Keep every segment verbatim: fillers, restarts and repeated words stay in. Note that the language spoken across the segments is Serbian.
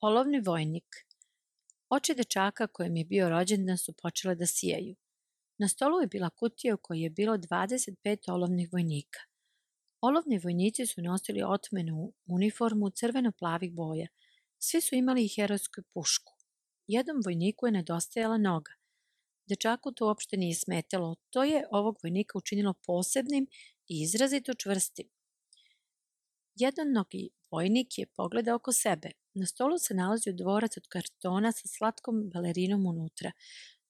Olovni vojnik. Oči dečaka kojem je bio rođendan su počele da sijaju. Na stolu je bila kutija u kojoj je bilo dvadeset pet olovnih vojnika. Olovni vojnici su nosili otmenu uniformu crveno-plavih boja. Svi su imali i herojsku pušku. Jednom vojniku je nedostajala noga. Dečaku to uopšte nije smetalo. To je ovog vojnika učinilo posebnim i izrazito čvrstim. Jednonogi vojnik je pogledao oko sebe. Na stolu se nalazio dvorac od kartona sa slatkom balerinom unutra.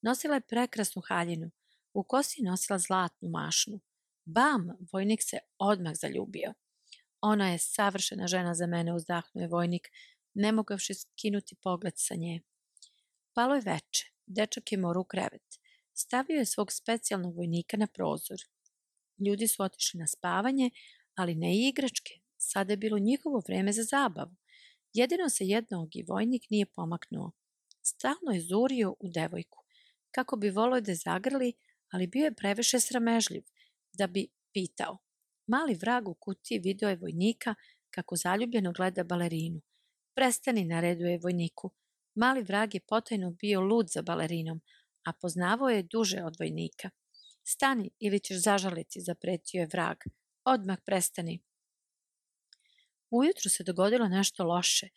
Nosila je prekrasnu haljinu. U kosi je nosila zlatnu mašnu. Bam! Vojnik se odmah zaljubio. Ona je savršena žena za mene, uzdahnuo je vojnik, ne mogavši skinuti pogled sa nje. Palo je veče. Dečak je morao u krevet. Stavio je svog specijalnog vojnika na prozor. Ljudi su otišli na spavanje, ali ne i igračke. Sada je bilo njihovo vreme za zabavu. Jedino se jednogi vojnik nije pomaknuo. Stalno je zurio u devojku. Kako bi volio da je zagrli, ali bio je previše sramežljiv da bi pitao. Mali vrag u kutiji video je vojnika kako zaljubljeno gleda balerinu. Prestani, nareduje vojniku. Mali vrag je potajno bio lud za balerinom, a poznavao je duže od vojnika. Stani ili ćeš zažaliti, zapretio je vrag. Odmah prestani. Ujutru se dogodilo nešto loše.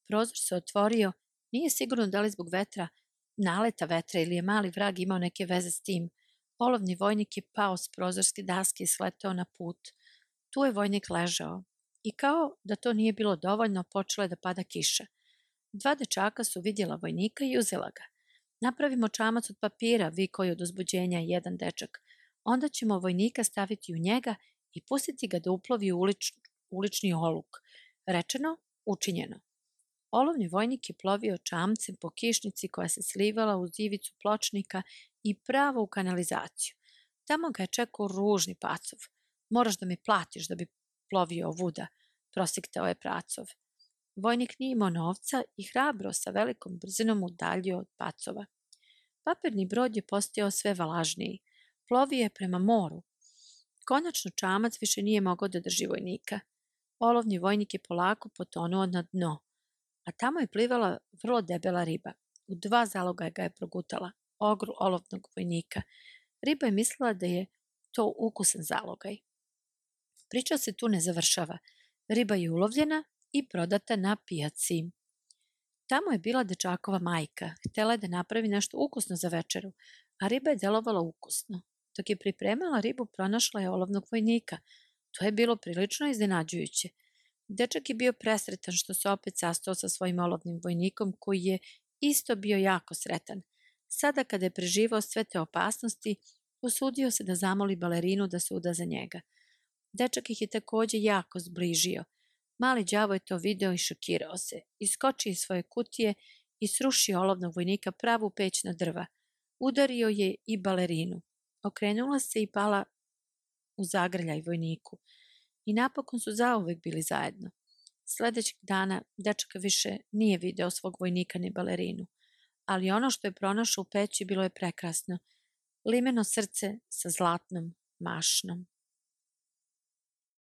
Prozor se otvorio, nije sigurno da li zbog vetra, naleta vetra ili je mali vrag imao neke veze s tim. Olovni vojnik je pao s prozorske daske i sletao na put. Tu je vojnik ležao. I kao da to nije bilo dovoljno, počela je da pada kiša. Dva dečaka su vidjela vojnika i uzela ga. Napravimo čamac od papira, vikao je od uzbuđenja jedan dečak. Onda ćemo vojnika staviti u njega i pustiti ga da uplovi u ulič, ulični oluk. Rečeno, učinjeno. Olovni vojnik je plovio čamcem po kišnici koja se slivala uz ivicu pločnika i pravo u kanalizaciju. Tamo ga je čekao ružni pacov. Moraš da mi platiš da bi plovio ovuda, prosiktao je pracov. Vojnik nije imao novca i hrabro sa velikom brzinom udaljio od pacova. Papirni brod je postajao sve valažniji. Plovio je prema moru. Konačno čamac više nije mogao da drži vojnika. Olovni vojnik je polako potonuo na dno, a tamo je plivala vrlo debela riba. U dva zaloga ga je progutala, ogru olovnog vojnika. Riba je mislila da je to ukusan zalogaj. Priča se tu ne završava. Riba je ulovljena i prodata na pijaci. Tamo je bila dečakova majka. Htela je da napravi nešto ukusno za večeru, a riba je delovala ukusno. Dok je pripremala ribu, pronašla je olovnog vojnika. To je bilo prilično iznenađujuće. Dečak je bio presretan što se opet sastao sa svojim olovnim vojnikom, koji je isto bio jako sretan. Sada kada je preživao sve te opasnosti, usudio se da zamoli balerinu da se uda za njega. Dečak ih je takođe jako zbližio. Mali đavo je to video i šokirao se. Iskočio iz svoje kutije i srušio olovnog vojnika pravu peć na drva. Udario je i balerinu. Okrenula se i pala u zagrljaj vojniku. I napokon su zauvek bili zajedno. Sledećeg dana dečak više nije video svog vojnika ni balerinu. Ali ono što je pronašao u peći bilo je prekrasno. Limeno srce sa zlatnom mašnom.